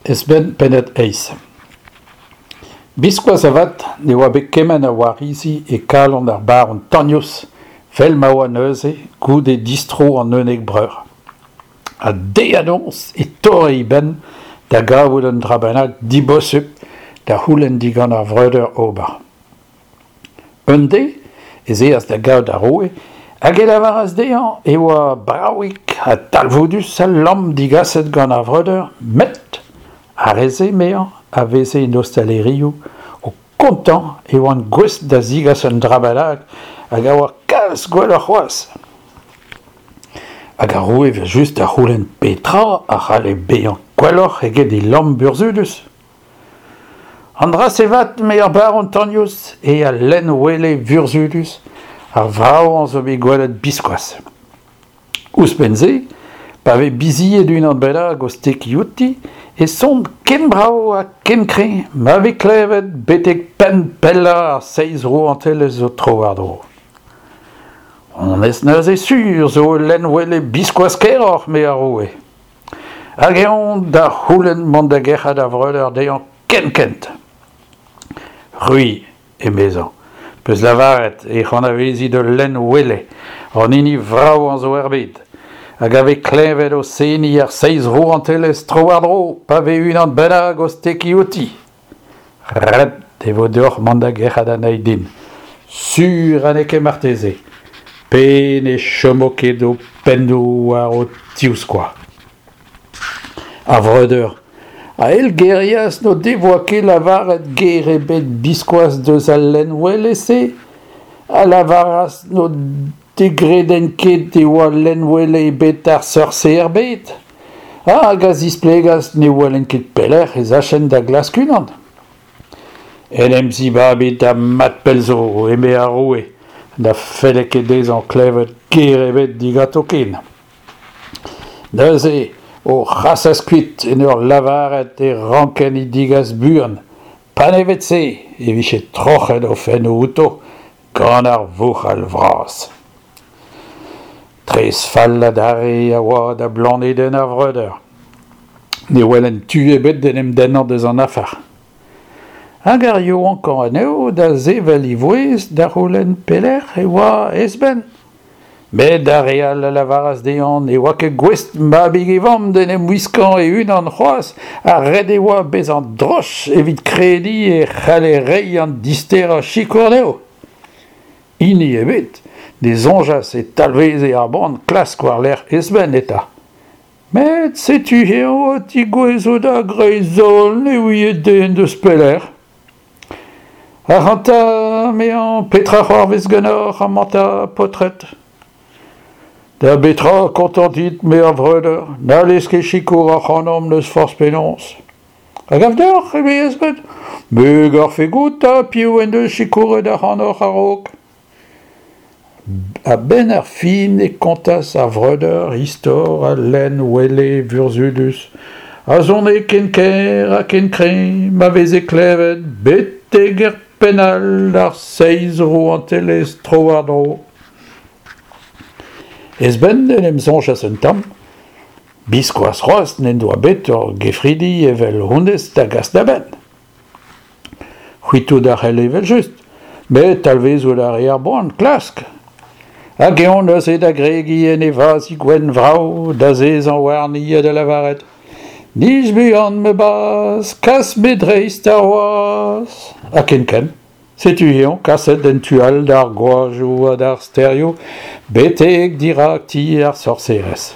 Esben pennad eizh. Biskoazh avat ne oa bet kement a warizi e kalon ar baron Tagnos 'vel ma oa neuze goude distro an unnek breur. Ha deiz ha noz e torre e benn da gavout un dra bennak dibosupl da c'houlenn digant ar vreudeur ober. Un deiz ez eas da gaout ar roue hag e lavaras dezhañ e oa bravik ha talvoudus al lamm digaset gant ar vreudeur met ar re-se, emezañ, a veze en ostalerioù o kontañ e oant gouest da zigas un dra bennak hag a oa kalz gwelloc'h c'hoazh. Hag ar roue evel-just da c'houlenn petra a c'halle bezañ gwelloc'h eget e lamm burzhudus. An dra-se 'vat, eme ar baron Tagnos, eo al lenn-wele vurzhudus, ar vravañ zo bet gwelet biskoazh. Ouzhpenn-se, pa vez bizied unan bennak o stekiñ outi, e son ken brav ha ken kreñv ma vez klevet betek penn pellañ ar seizh rouantelezh zo tro-war-dro. Honnezh neuze sur zo ul lenn-wele biskoazh kaeroc'h, eme ar roue. Hag eñ da c'houlenn mont da gerc'hat ar vreudeur dezhañ kenkent. C'hwi, emezañ, 'peus lavaret ec'h anavezit ul lenn wele, an hini vravañ zo er bed, hag a vez klevet o seniñ ar seizh rouantelezh tro-war-dro pa vez unan bennak o stekiñ outi. Ret e vo deoc'h mont da gerc'hat anezhi din, sur ha n'eo ket marteze, pe ne chomo ket ho pennoù war ho tivskoaz. Ar vreudeur a eilgerias n'o devoa ket lavaret ger ebet biskoazh deus al lenn-wele-se, a lavaras n'o degredent ket e oa lenn-wele ebet ar seurt-se er bed. Hag a zisplegas ne welent ket pelec'h ez achent da glask unan. En em zibabit ha mat pell zo, eme ar roue, na felle ket dezhañ klevet ger ebet diganto ken. Neuze o c'hasas kuit en ur lavaret e rankent he degas buan, panevet-se e vije troc'het o fennoù outo gant ar vouc'hal vras. Tres fall adarre a oa da blanedenn ar vreudeur. Ne welent tu ebet d'en em dennañ deus an afer. Hag ar yaouankañ anezho da sevel e vouezh da c'houlenn pelec'h e oa Esben. Met ar re all a lavaras dezhañ ne oa ket gouest mabig e vamm d'en em wiskañ e-unan c'hoazh ha ret e oa bezañ droch evit krediñ e c'halle reiñ an disterañ sikour dezho. Hini ebet ne soñjas e talveze ar boan klask war-lerc'h Esben eta. Met setu eñ o tigouezhout a-greiz-holl ne ouie den deus pelec'h. Ac'hanta, 'mezañ, petra c'hoarvez ganeoc'h amañ 'ta, paotred ? Da betra kontant int, me ar vreudeur, n'hallez ket sikour ac'hanomp n'eus forzh penaos. A gav deoc'h, eme Esben, me 'garfe goût 'ta piv en deus sikouret ac'hanoc'h a-raok. A-benn ar fin e kontas ar vreudeur istor al lenn wele vurzhudus a sone ken kaer ha ken kreñv ma veze klevet betek er penn all d'ar seizh rouantelezh tro-war-dro. Esben en em soñjas un tamm. Biskoazh c'hoazh n'en doa bet ur gefridi evel honnezh da gas da benn. C'hwitout a c'helle evel-just, met talvezout a rae ar boan klask. Hag eñ neuze da gregiñ en e vazhig gwenn vrav, d'azezañ warni ha da lavaret Nij buan ma bazh, kas me dreist ar wazh. Ha kenkent, setu eñ kaset en tu all d'ar gwajoù ha d'ar stêrioù, betek dirak ti ar sorserez.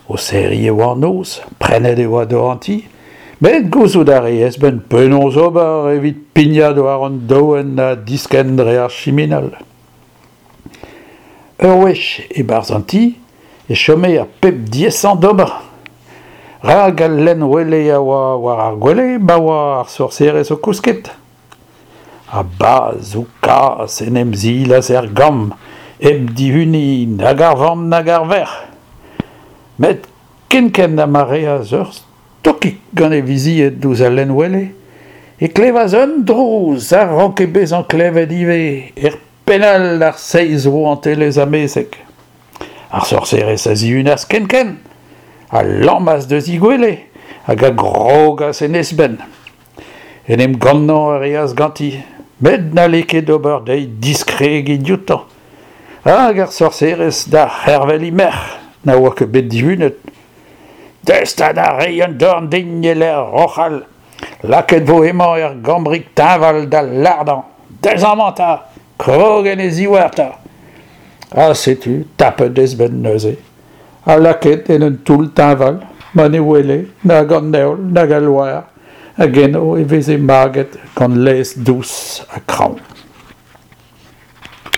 O serriñ e oa an noz, prennet e oa dor an ti, met gouzout a rae Esben penaos ober evit pignat war an doenn ha diskenn dre ar chiminal. Ur wech e-barzh an ti e chome ar pep diaesañ d'ober, rak al lenn-wele a oa war ar gwele ma oa ar sorserez o kousket. Ha bazh-kazh en em silas er gambr hep dihuniñ nag ar vamm nag ar verc'h. Met kenkent ha ma reas ur stokig gant e vizied ouzh al lenn-wele e klevas un drouz a ranke bezañ klevet ivez er penn all d'ar seizh rouantelezh amezek. Ar sorserez a zihunas kenkent, a lammas deus he gwele, hag a grogas en he zbenn. En em gannañ a reas ganti, met n'halle ket ober dezhi diskregiñ dioutañ. Hag ar sorserez da c'hervel he merc'h, na oa ket bet dihunet. Deus 'ta da reiñ un dorn din e-lec'h roc'hal. Lakaet 'vo hemañ er gambrig teñval da lardañ. Deus amañ 'ta, krog en e zivhar 'ta. Ha setu tapet he zbenn neuze, ha lakaet en un toull teñval ma ne wele nag an heol nag al loar, hag eno e veze maget gant laezh dous ha kraoñ.